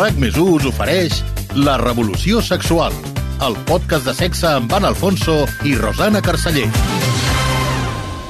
RAC+1 us ofereix La Revolució Sexual, el podcast de sexe amb Anna Alfonso i Rosana Carceller.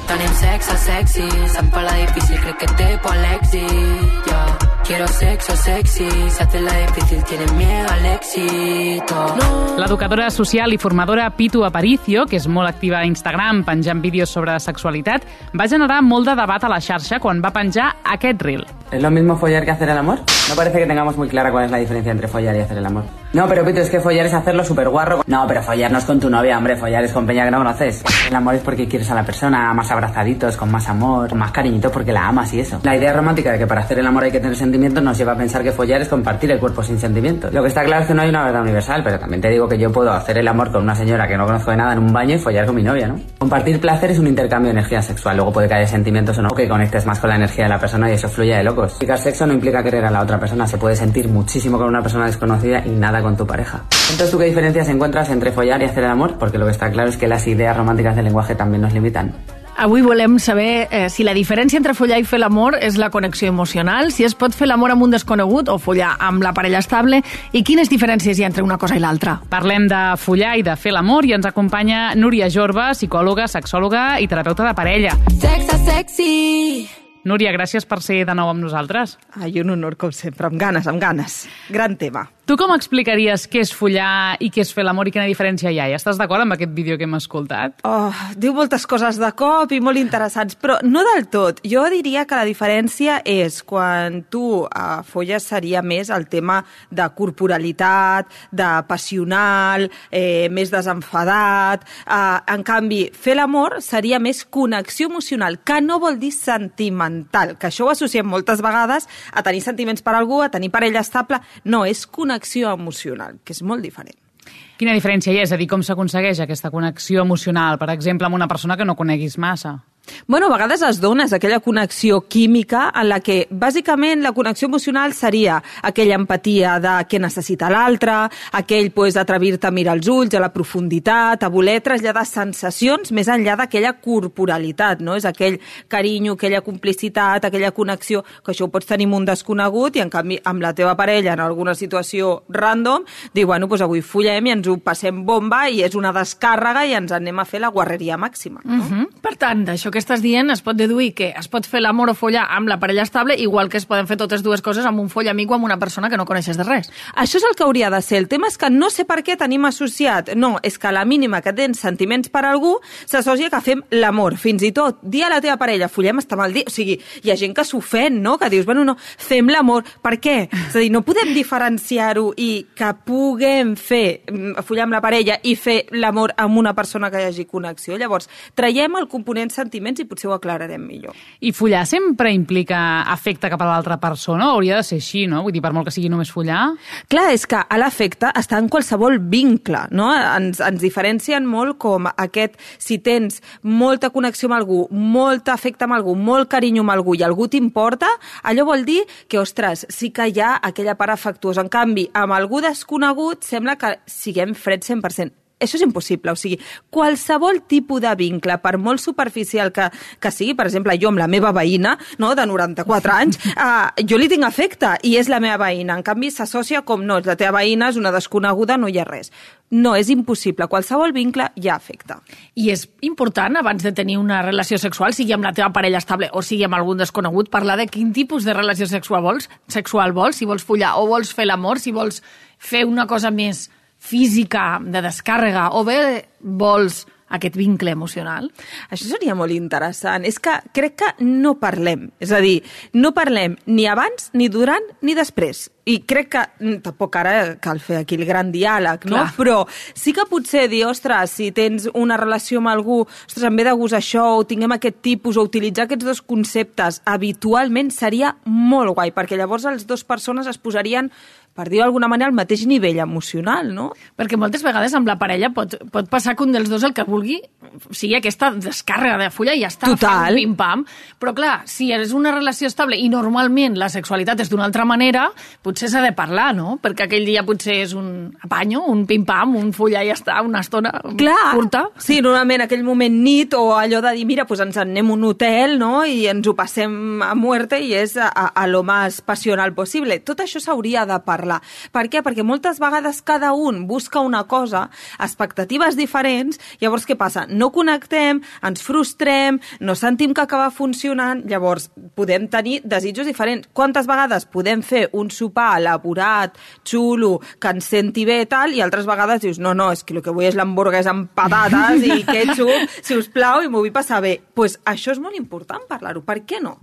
Tenim sexe sexy, se'm fa la difícil, crec que té por l'èxit, yeah. Quiero sexo sexy, se hace la difícil, tienen miedo al éxito. No. L'educadora social i formadora Pitu Aparicio, que és molt activa a Instagram penjant vídeos sobre sexualitat, va generar molt de debat a la xarxa quan va penjar aquest reel. ¿Es lo mismo follar que hacer el amor? No parece que tengamos muy clara cuál es la diferencia entre follar y hacer el amor. No, pero Pitu, es que follar es hacerlo súper guarro. No, pero follar no es con tu novia, hombre, follar es con peña que no conoces. El amor es porque quieres a la persona más abrazaditos, con más amor, con más cariñitos porque la amas y eso. La idea romántica de que para hacer el amor hay que tener sentimientos nos lleva a pensar que follar es compartir el cuerpo sin sentimientos. Lo que está claro es que no hay una verdad universal, pero también te digo que yo puedo hacer el amor con una señora que no conozco de nada en un baño y follar con mi novia, ¿no? Compartir placer es un intercambio de energía sexual, luego puede que haya sentimientos o no, o que conectes más con la energía de la persona y eso fluya de locos. Practicar sexo no implica querer a la otra persona, se puede sentir muchísimo con una persona desconocida y nada con tu pareja. Entonces, ¿tú qué diferencias encuentras entre follar y hacer el amor? Porque lo que está claro es que las ideas románticas del lenguaje también nos limitan. Avui volem saber si la diferència entre follar i fer l'amor és la connexió emocional, si es pot fer l'amor amb un desconegut o follar amb la parella estable i quines diferències hi ha entre una cosa i l'altra. Parlem de follar i de fer l'amor i ens acompanya Núria Jorba, psicòloga, sexòloga i terapeuta de parella. Sexe sexy. Núria, gràcies per ser de nou amb nosaltres. Ai, un honor, com sempre, amb ganes. Gran tema. Tu com explicaries què és follar i què és fer l'amor i quina diferència hi ha? I estàs d'acord amb aquest vídeo que hem escoltat? Diu moltes coses de cop i molt interessants, però no del tot. Jo diria que la diferència és quan tu folles seria més el tema de corporalitat, de passional, més desenfadat. En canvi, fer l'amor seria més connexió emocional, que no vol dir sentimental, que això ho associem moltes vegades a tenir sentiments per algú, a tenir parella estable. No, és connexió emocional, que és molt diferent. Quina diferència hi ha? És a dir, com s'aconsegueix aquesta connexió emocional, per exemple, amb una persona que no coneguis massa? Bueno, a vegades es dona aquella connexió química en la que, bàsicament, la connexió emocional seria aquella empatia de què necessita l'altre, aquell atrevir-te a mirar els ulls, a la profunditat, a voler traslladar sensacions més enllà d'aquella corporalitat, no? És aquell carinyo, aquella complicitat, aquella connexió, que això ho pots tenir amb un desconegut i, en canvi, amb la teva parella en alguna situació random, dir, bueno, doncs avui follem i ens ho passem bomba i és una descàrrega i ens anem a fer la guarreria màxima. No? Per tant, d'això que estàs dient es pot deduir que es pot fer l'amor o follar amb la parella estable igual que es poden fer totes dues coses amb un follamic o amb una persona que no coneixes de res. Això és el que hauria de ser. El tema és que no sé per què tenim associat. No, és que a la mínima que tens sentiments per algú s'associa que fem l'amor. Fins i tot dir a la teva parella follem està mal dir. O sigui, hi ha gent que s'ofèn, no? Que dius, bueno, no, fem l'amor. Per què? És a dir, no podem diferenciar-ho i que puguem fer follar amb la parella i fer l'amor amb una persona que hi hagi connexió. Llavors, traiem el component sentiments i potser ho aclararem millor. I follar sempre implica afecte cap a l'altra persona? Hauria de ser així, no? Vull dir, per molt que sigui només follar? Clar, és que l'afecte està en qualsevol vincle, no? Ens diferencien molt com aquest, si tens molta connexió amb algú, molt afecte amb algú, molt carinyo amb algú i algú t'importa, allò vol dir que, ostres, sí que hi ha aquella part afectuosa. En canvi, amb algú desconegut sembla que siguem freds 100%. Això és impossible, o sigui, qualsevol tipus de vincle, per molt superficial que sigui, per exemple, jo amb la meva veïna, no, de 94 anys, jo li tinc afecte i és la meva veïna. En canvi, s'associa com no, és la teva veïna, és una desconeguda, no hi ha res. No, és impossible. Qualsevol vincle hi ha afecte. I és important, abans de tenir una relació sexual, sigui amb la teva parella estable o sigui amb algun desconegut, parlar de quin tipus de relació sexual vols, si vols follar o vols fer l'amor, si vols fer una cosa més física, de descàrrega, o bé vols aquest vincle emocional? Això seria molt interessant. És que crec que no parlem. És a dir, no parlem ni abans, ni durant, ni després. I crec que tampoc ara cal fer aquí el gran diàleg, no? Clar. Però sí que potser dir, ostres, si tens una relació amb algú, ostres, em ve de gust això, o tinguem aquest tipus, o utilitzar aquests dos conceptes habitualment seria molt guai, perquè llavors les dues persones es posarien, per dir-ho d'alguna manera, al mateix nivell emocional, no? Perquè moltes vegades amb la parella pot passar que un dels dos el que vulgui sigui aquesta descàrrega de fulla i ja està. Total. Pim-pam. Però clar, si és una relació estable i normalment la sexualitat és d'una altra manera, potser s'ha de parlar, no? Perquè aquell dia potser és un apanyo, un pim-pam, un fulla i ja està, una estona curta. Sí, normalment aquell moment nit o allò de dir, mira, doncs ens anem a un hotel, no?, i ens ho passem a muerte i és a lo más passional possible. Tot això s'hauria de parlar. Per què? Perquè moltes vegades cada un busca una cosa, expectatives diferents, llavors què passa? No connectem, ens frustrem, no sentim que acaba funcionant, llavors podem tenir desitjos diferents. Quantes vegades podem fer un sopar elaborat, xulo, que ens senti bé tal, i altres vegades dius, no, és que el que vull és l'hamburguesa amb patates i ketchup, si us plau, i m'ho vull passar bé. Doncs això és molt important parlar-ho, per què no?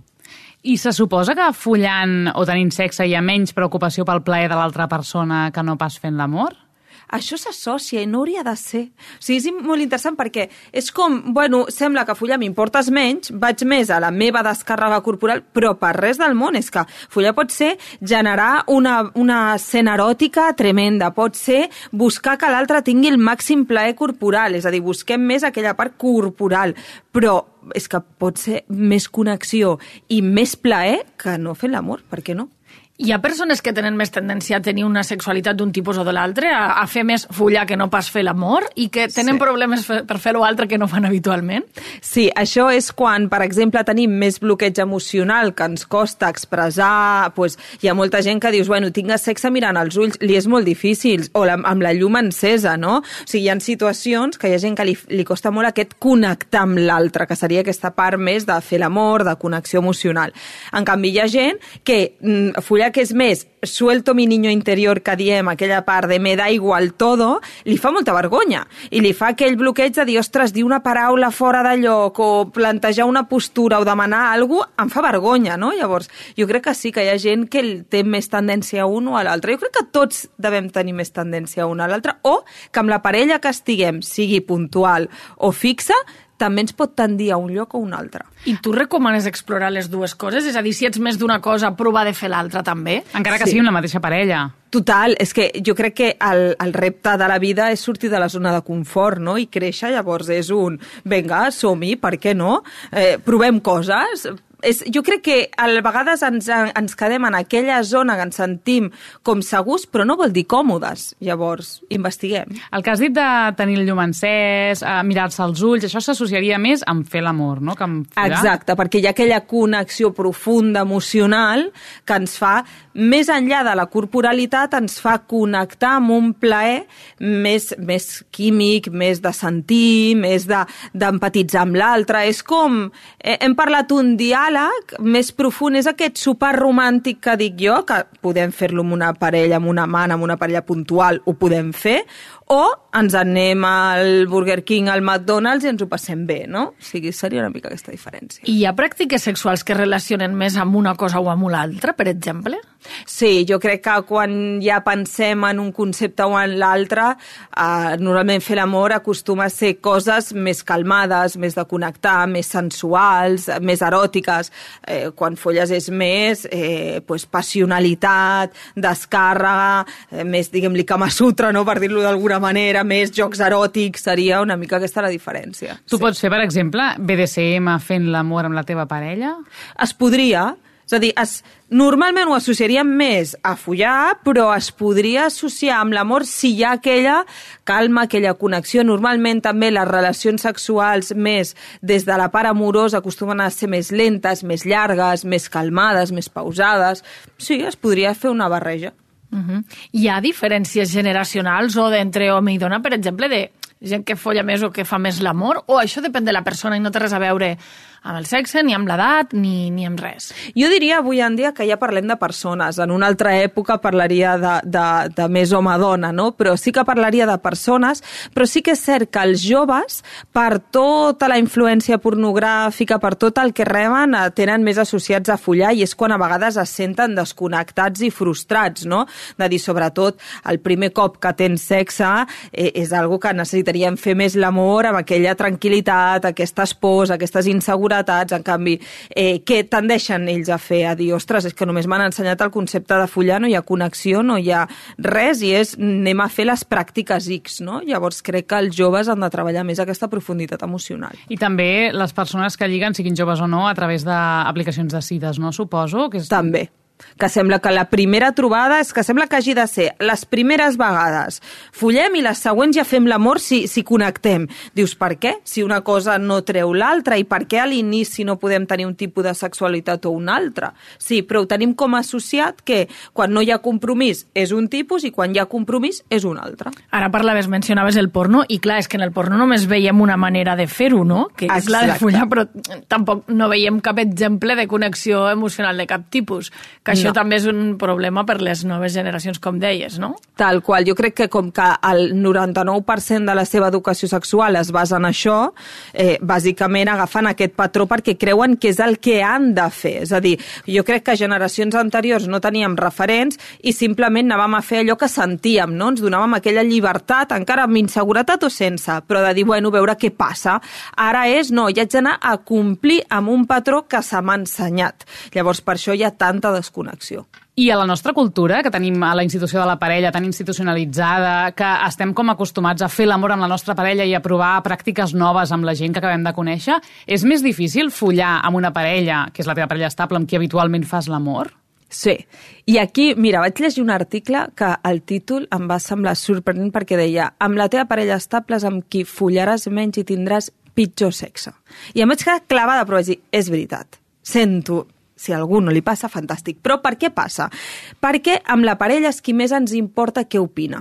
I se suposa que follant o tenint sexe hi ha menys preocupació pel plaer de l'altra persona que no pas fent l'amor? Això s'associa i no hauria de ser. O sigui, és molt interessant perquè és com, bueno, sembla que follar m'importes menys, vaig més a la meva descàrrega corporal, però per res del món. És que follar pot ser generar una escena eròtica tremenda, pot ser buscar que l'altre tingui el màxim plaer corporal, és a dir, busquem més aquella part corporal, però és que pot ser més connexió i més plaer que no fent l'amor, per què no? Hi ha persones que tenen més tendència a tenir una sexualitat d'un tipus o de l'altre, a fer més follar que no pas fer l'amor, i que tenen problemes per fer-ho altre que no fan habitualment? Sí, això és quan, per exemple, tenim més bloqueig emocional que ens costa expressar, doncs hi ha molta gent que dius, bueno, tingues sexe mirant als ulls, li és molt difícil, o amb la llum encesa, no? O sigui, hi ha situacions que hi ha gent que li costa molt aquest connectar amb l'altre, que seria aquesta part més de fer l'amor, de connexió emocional. En canvi, hi ha gent que follar que és més suelto mi niño interior, que diem, aquella part de me da igual todo, li fa molta vergonya. I li fa aquell bloqueig de dir, ostres, dir una paraula fora de lloc o plantejar una postura o demanar alguna cosa, em fa vergonya, no? Llavors, jo crec que sí que hi ha gent que té més tendència a un o a l'altre. Jo crec que tots devem tenir més tendència a un o a l'altre, o que amb la parella que estiguem, sigui puntual o fixa, també ens pot tendir a un lloc o un altre. I tu recomanes explorar les dues coses? És a dir, si ets més d'una cosa, provar de fer l'altra també? Encara que sigui amb la mateixa parella. Total, és que jo crec que el repte de la vida és sortir de la zona de confort, no?, i créixer. Llavors és vinga, som-hi, per què no? Provem coses. Jo crec que a vegades ens quedem en aquella zona que ens sentim com segurs, però no vol dir còmodes. Llavors, investiguem. El que has dit de tenir el llum encès, mirar-se als ulls, això s'associaria més amb fer l'amor, no?, que amb follar. Exacte, perquè hi ha aquella connexió profunda, emocional, que ens fa, més enllà de la corporalitat, ens fa connectar amb un plaer més químic, més de sentir, més d'empatitzar amb l'altre. És com, hem parlat un diàleg més profund, és aquest sopar romàntic que dic jo, que podem fer-lo amb una parella, amb una amant, amb una parella puntual, ho podem fer, o ens anem al Burger King, al McDonald's i ens ho passem bé, no? O sigui, seria una mica aquesta diferència. I hi ha pràctiques sexuals que relacionen més amb una cosa o amb l'altra, per exemple? Sí, jo crec que quan ja pensem en un concepte o en l'altre, normalment fer l'amor acostuma a ser coses més calmades, més de connectar, més sensuals, més eròtiques. Quan folles és més passionalitat, descàrrega, més, diguem-li, Kama Sutra, no?, per dir-lo d'alguna manera, més jocs eròtics, seria una mica aquesta la diferència. Tu pots fer, per exemple, BDSM fent l'amor amb la teva parella? Es podria. És a dir, normalment ho associaríem més a follar, però es podria associar amb l'amor si hi ha aquella calma, aquella connexió. Normalment també les relacions sexuals més des de la part amorosa acostumen a ser més lentes, més llargues, més calmades, més pausades. Sí, es podria fer una barreja. Hi ha diferències generacionals o d'entre home i dona, per exemple, de gent que folla més o que fa més l'amor, o això depèn de la persona i no té res a veure amb el sexe, ni amb l'edat, ni amb res? Jo diria avui en dia que ja parlem de persones. En una altra època parlaria de més home-dona, no? Però sí que parlaria de persones, però sí que és cert que els joves, per tota la influència pornogràfica, per tot el que reben, tenen més associats a follar, i és quan a vegades es senten desconnectats i frustrats, no? De dir, sobretot, el primer cop que tens sexe és algo que necessitaríem fer més l'amor amb aquella tranquil·litat, aquestes pors, aquestes inseguretats, inseguretats, en canvi, què tendeixen ells a fer? A dir, ostres, és que només m'han ensenyat el concepte de follar, no hi ha connexió, no hi ha res, i anem a fer les pràctiques X, no? Llavors crec que els joves han de treballar més aquesta profunditat emocional. I també les persones que lliguen, siguin joves o no, a través d'aplicacions de cites, no? Suposo que és... També. Que sembla que la primera trobada és que sembla que hagi de ser les primeres vegades follem i les següents ja fem l'amor si connectem. Dius, per què? Si una cosa no treu l'altra, i per què a l'inici no podem tenir un tipus de sexualitat o un altre? Sí, però ho tenim com a associat que quan no hi ha compromís és un tipus i quan hi ha compromís és un altre. Ara mencionaves el porno, i clar, és que en el porno només veiem una manera de fer-ho, no? Que és la de follar, però tampoc no veiem cap exemple de connexió emocional de cap tipus. Que això també és un problema per les noves generacions, com deies, no? Tal qual. Jo crec que com que el 99% de la seva educació sexual es basa en això, bàsicament agafen aquest patró perquè creuen que és el que han de fer. És a dir, jo crec que generacions anteriors no teníem referents i simplement anàvem a fer allò que sentíem, no? Ens donàvem aquella llibertat, encara amb inseguretat o sense, però de dir, bueno, veure què passa. Ara és, no, ja haig d'anar a complir amb un patró que se m'ha ensenyat. Llavors, per això hi ha tanta desconnexió. I a la nostra cultura, que tenim a la institució de la parella tan institucionalitzada, que estem com acostumats a fer l'amor amb la nostra parella i a provar pràctiques noves amb la gent que acabem de conèixer, és més difícil follar amb una parella, que és la teva parella estable, amb qui habitualment fas l'amor? Sí. I aquí, mira, vaig llegir un article que el títol em va semblar sorprenent perquè deia amb la teva parella estable és amb qui follaràs menys i tindràs pitjor sexe. I em vaig quedar clavada, però vaig dir, és veritat, sento... Si a algú no li passa, fantàstic. Però per què passa? Perquè amb la parella és qui més ens importa què opina.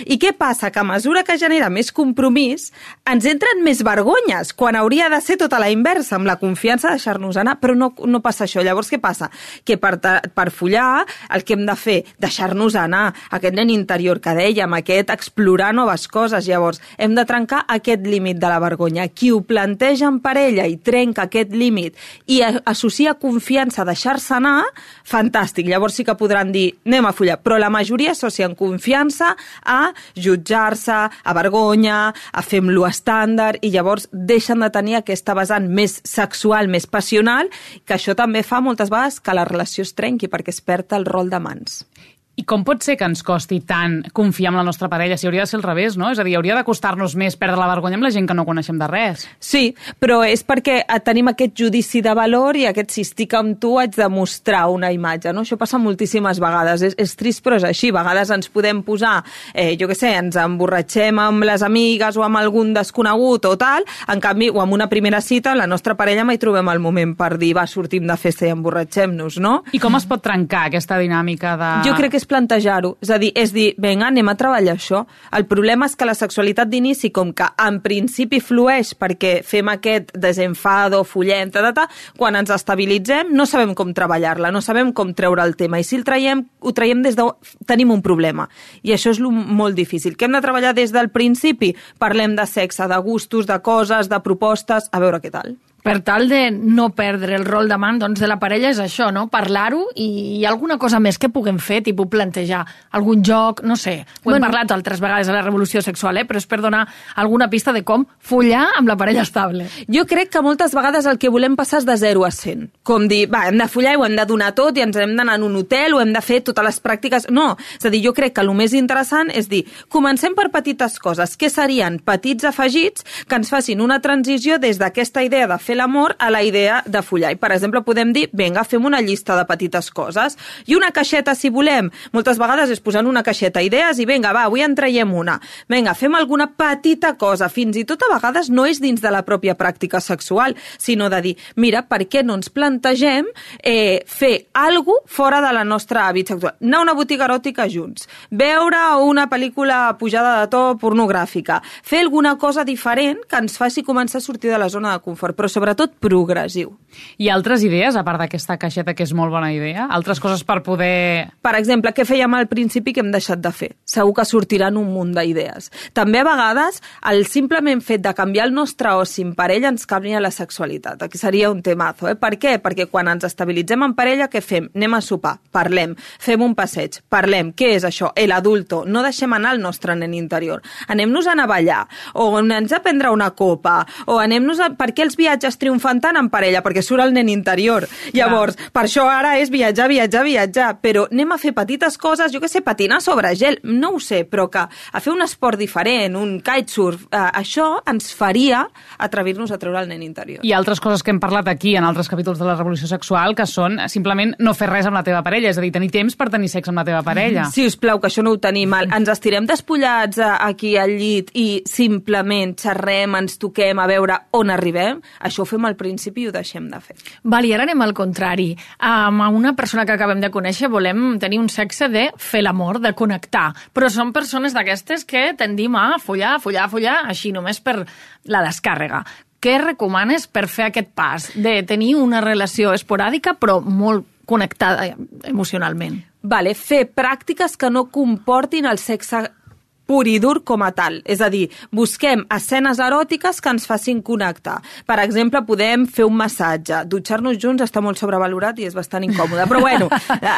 I què passa? Que a mesura que genera més compromís, ens entren més vergonyes, quan hauria de ser tota la inversa, amb la confiança de deixar-nos anar, però no passa això. Llavors, què passa? Que per follar, el que hem de fer, deixar-nos anar, aquest nen interior que dèiem, aquest explorar noves coses. Llavors, hem de trencar aquest límit de la vergonya. Qui ho planteja en parella i trenca aquest límit i associa confiança a deixar-se anar, fantàstic. Llavors sí que podran dir, anem a follar, però la majoria associen confiança a jutjar-se, a vergonya, a fer amb lo estàndard, i llavors deixen de tenir aquesta vessant més sexual, més passional, que això també fa moltes vegades que la relació es trenqui perquè es perd el rol de mans. I com pot ser que ens costi tant confiar en la nostra parella? Si hauria de ser al revés, no? És a dir, hauria de costar-nos més perdre la vergonya amb la gent que no coneixem de res. Sí, però és perquè tenim aquest judici de valor i aquest si estic amb tu haig de mostrar una imatge, no? Això passa moltíssimes vegades. És trist, però és així. A vegades ens podem posar, jo què sé, ens emborratxem amb les amigues o amb algun desconegut o tal, en canvi, o amb una primera cita, la nostra parella mai trobem el moment per dir, va, sortim de festa i emborratxem-nos, no? I com es pot trencar aquesta dinàmica de... Jo crec que plantejar-ho, és dir, vinga, anem a treballar això. El problema és que la sexualitat d'inici, com que en principi flueix perquè fem aquest desenfado, follem, quan ens estabilitzem no sabem com treballar-la, no sabem com treure el tema, i si ho traiem des de... tenim un problema, i això és molt difícil. Què hem de treballar des del principi? Parlem de sexe, de gustos, de coses, de propostes, a veure què tal. Per tal de no perdre el rol d'amant, doncs, de la parella és això, no? Parlar-ho, i alguna cosa més que puguem fer, tipus plantejar algun joc, no sé. Ho hem parlat altres vegades a la revolució sexual, però és per donar alguna pista de com follar amb la parella estable. Jo crec que moltes vegades el que volem passar és de 0 a 100. Com dir, va, hem de follar i ho hem de donar tot i ens hem d'anar en un hotel o hem de fer totes les pràctiques... No, és a dir, jo crec que el més interessant és dir, comencem per petites coses. Què serien petits afegits que ens facin una transició des d'aquesta idea de fer l'amor a la idea de follar. I, per exemple, podem dir, vinga, fem una llista de petites coses. I una caixeta, si volem. Moltes vegades és posant una caixeta idees i vinga, va, avui en traiem una. Vinga, fem alguna petita cosa. Fins i tot a vegades no és dins de la pròpia pràctica sexual, sinó de dir, mira, per què no ens plantegem fer alguna cosa fora de la nostra hàbit sexual? Anar a una botiga eròtica junts. Veure una pel·lícula pujada de to pornogràfica. Fer alguna cosa diferent que ens faci començar a sortir de la zona de confort, però sobretot progressiu. I altres idees, a part d'aquesta caixeta, que és molt bona idea? Altres coses per poder... Per exemple, què fèiem al principi que hem deixat de fer? Segur que sortiran un munt d'idees. També a vegades el simplement fet de canviar el nostre oci en parella ens canvia la sexualitat. Aquí seria un temazo. Per què? Perquè quan ens estabilitzem en parella, què fem? Anem a sopar, parlem, fem un passeig, parlem. Què és això? El adulto. No deixem anar el nostre nen interior. Anem-nos a anar a ballar, o anem a prendre una copa, o anem-nos a... Per què els viatges viatges triomfant tant en parella, perquè surt el nen interior. Llavors, per això ara és viatjar, però anem a fer petites coses, jo què sé, patinar sobre gel, no ho sé, però que a fer un esport diferent, un kitesurf, això ens faria atrevir-nos a treure el nen interior. I altres coses que hem parlat aquí en altres capítols de la revolució sexual, que són simplement no fer res amb la teva parella, és a dir, tenir temps per tenir sexe amb la teva parella. Si us plau, que això no ho tenim mal. Ens estirem despullats aquí al llit i simplement xerrem, ens toquem a veure on arribem, això ho fem al principi i ho deixem de fer. Val, i ara anem al contrari. Amb una persona que acabem de conèixer volem tenir un sexe de fer l'amor, de connectar, però són persones d'aquestes que tendim a follar, així només per la descàrrega. Què recomanes per fer aquest pas de tenir una relació esporàdica però molt connectada emocionalment? Vale, fer pràctiques que no comportin el sexe pur i dur com a tal. És a dir, busquem escenes eròtiques que ens facin connectar. Per exemple, podem fer un massatge. Dutxar-nos junts està molt sobrevalorat i és bastant incòmode. Però bueno,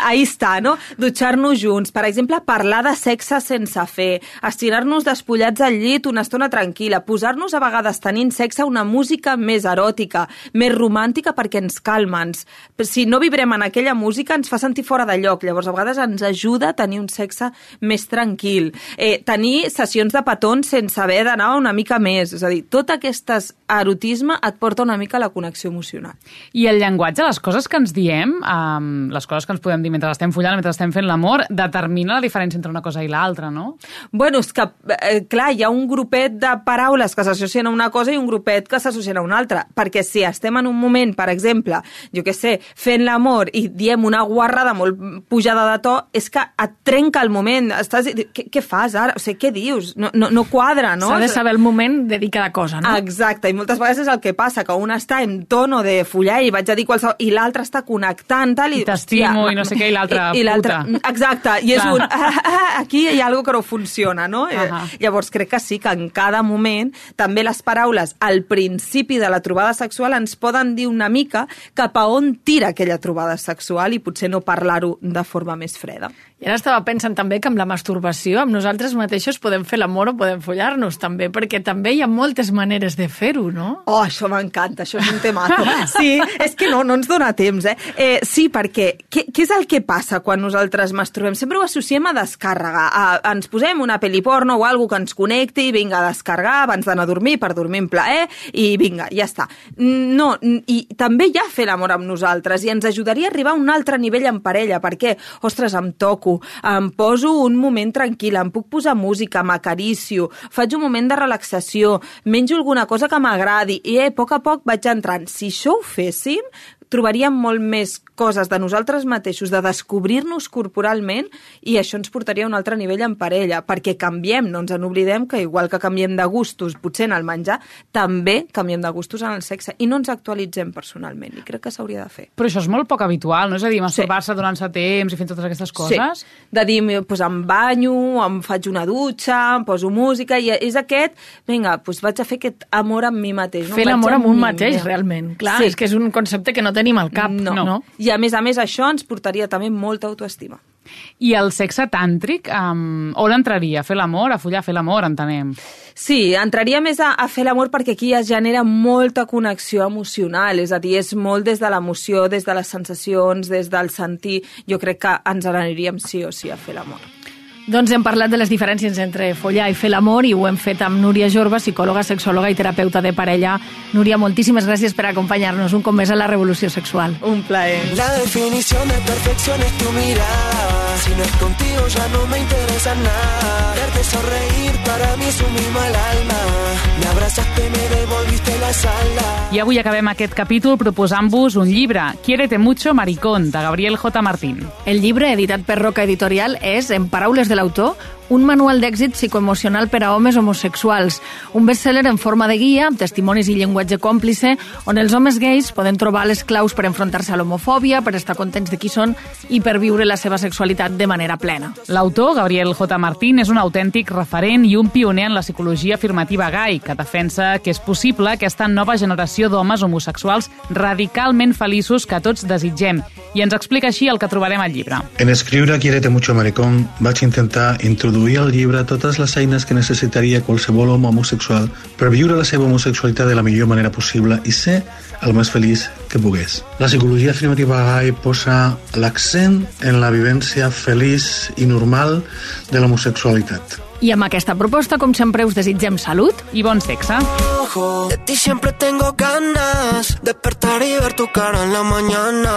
ahí està, no? Dutxar-nos junts. Per exemple, parlar de sexe sense fer. Estirar-nos despullats al llit una estona tranquil·la. Posar-nos a vegades tenint sexe una música més eròtica, més romàntica perquè ens calma. Si no vibrem en aquella música ens fa sentir fora de lloc. Llavors, a vegades ens ajuda a tenir un sexe més tranquil. Tenir sessions de petons sense haver d'anar una mica més. És a dir, tot aquest erotisme et porta una mica a la connexió emocional. I el llenguatge, les coses que ens diem, les coses que ens podem dir mentre estem follant, mentre estem fent l'amor, determina la diferència entre una cosa i l'altra, no? Bueno, és que, clar, hi ha un grupet de paraules que s'associen a una cosa i un grupet que s'associen a una altra. Perquè si estem en un moment, per exemple, jo què sé, fent l'amor i diem una guarrada molt pujada de to, és que et trenca el moment. Què fas ara? O sigui, què dius? No quadra, no? S'ha de saber el moment de dir cada cosa, no? Exacte, i moltes vegades és el que passa, que un està en tono de follar i vaig a dir qualsevol, i l'altre està connectant, tal, i t'estimo, i no sé què, i l'altre puta. Exacte, i és aquí hi ha alguna que no funciona, no? Llavors crec que sí, que en cada moment també les paraules al principi de la trobada sexual ens poden dir una mica cap a on tira aquella trobada sexual i potser no parlar-ho de forma més freda. I ara estava pensant també que amb la masturbació, amb nosaltres mateixos podem fer l'amor o podem follar-nos també, perquè també hi ha moltes maneres de fer-ho, no? Oh, això m'encanta, això és un temazo. Sí, és que no ens dona temps, sí, perquè què és el que passa quan nosaltres masturbem? Sempre ho associem a descàrrega. Ens posem una pel·li porno o alguna que ens connecti, vinga, a descarregar abans d'anar a dormir, per dormir en plaer, i vinga, ja està. No, i també hi ha fer l'amor amb nosaltres, i ens ajudaria a arribar a un altre nivell en parella, perquè, ostres, em toco, em poso un moment tranquil, em puc posar música, m'acaricio, faig un moment de relaxació, menjo alguna cosa que m'agradi i a poc vaig entrant. Si això ho féssim, trobaríem molt més coses de nosaltres mateixos, de descobrir-nos corporalment, i això ens portaria a un altre nivell en parella, perquè canviem, no ens en oblidem que igual que canviem de gustos, potser en el menjar, també canviem de gustos en el sexe, i no ens actualitzem personalment, i crec que s'hauria de fer. Però això és molt poc habitual, no? És a dir, masturbar-se donant-se temps i fent totes aquestes coses? Sí, de dir, doncs em banyo, em faig una dutxa, em poso música, i és aquest, vinga, doncs vaig a fer aquest amor amb mi mateix. Fer l'amor amb un mateix, realment. Clar, és que és un concepte que no tenim al cap. No. I a més això ens portaria també molta autoestima. I el sexe tàntric, on entraria? A fer l'amor, a follar, a fer l'amor, entenem? Sí, entraria més a fer l'amor perquè aquí es genera molta connexió emocional, és a dir, és molt des de l'emoció, des de les sensacions, des del sentir. Jo crec que ens aniríem sí o sí a fer l'amor. Doncs hem parlat de les diferències entre follar i fer l'amor i ho hem fet amb Núria Jorba, psicòloga, sexòloga i terapeuta de parella. Núria, moltíssimes gràcies per acompanyar-nos un cop més a la Revolució Sexual. Un plaer. La definición de perfección es tu mirada. Si no es contigo ya no me interesa nada. Verte sonreír para mí es un mimo al alma. Me abrazaste, me devolviste las alas. I avui acabem aquest capítol proposant-vos un llibre, Quiérete mucho, maricón, de Gabriel J. Martín. El llibre, editat per Roca Editorial, és, en paraules de l'autor, un manual d'èxit psicoemocional per a homes homosexuals, un best-seller en forma de guia, amb testimonis i llenguatge còmplice, on els homes gais poden trobar les claus per enfrontar-se a l'homofòbia, per estar contents de qui són i per viure la seva sexualitat de manera plena. L'autor, Gabriel J. Martín, és un autèntic referent i un pioner en la psicologia afirmativa gai, que defensa que és possible aquesta nova generació d'homes homosexuals radicalment feliços que tots desitgem. i ens explica així el que trobarem al llibre. En escriure Quiérete mucho maricón vaig intentar introduir al llibre totes les eines que necessitaria qualsevol home homosexual per viure la seva homosexualitat de la millor manera possible i ser el més feliç que pogués. La psicologia afirmativa gai posa l'accent en la vivència feliç i normal de l'homosexualitat. I amb aquesta proposta, com sempre, us desitgem salut i bon sexe. De ti siempre tengo ganas, despertar y ver tu cara en la mañana.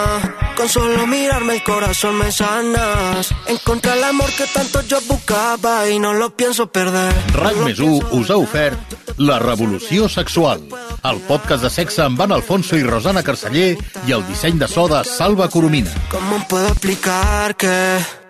Con solo mirarme el corazón me sanas. Encontré el amor que tanto yo buscaba y no lo pienso perder. RAC+1 us ha ofert La Revolució Sexual, el podcast de sexe amb Ana Alfonso i Rosana Carceller i el disseny de so de Salva Coromina. ¿Cómo puedo explicar que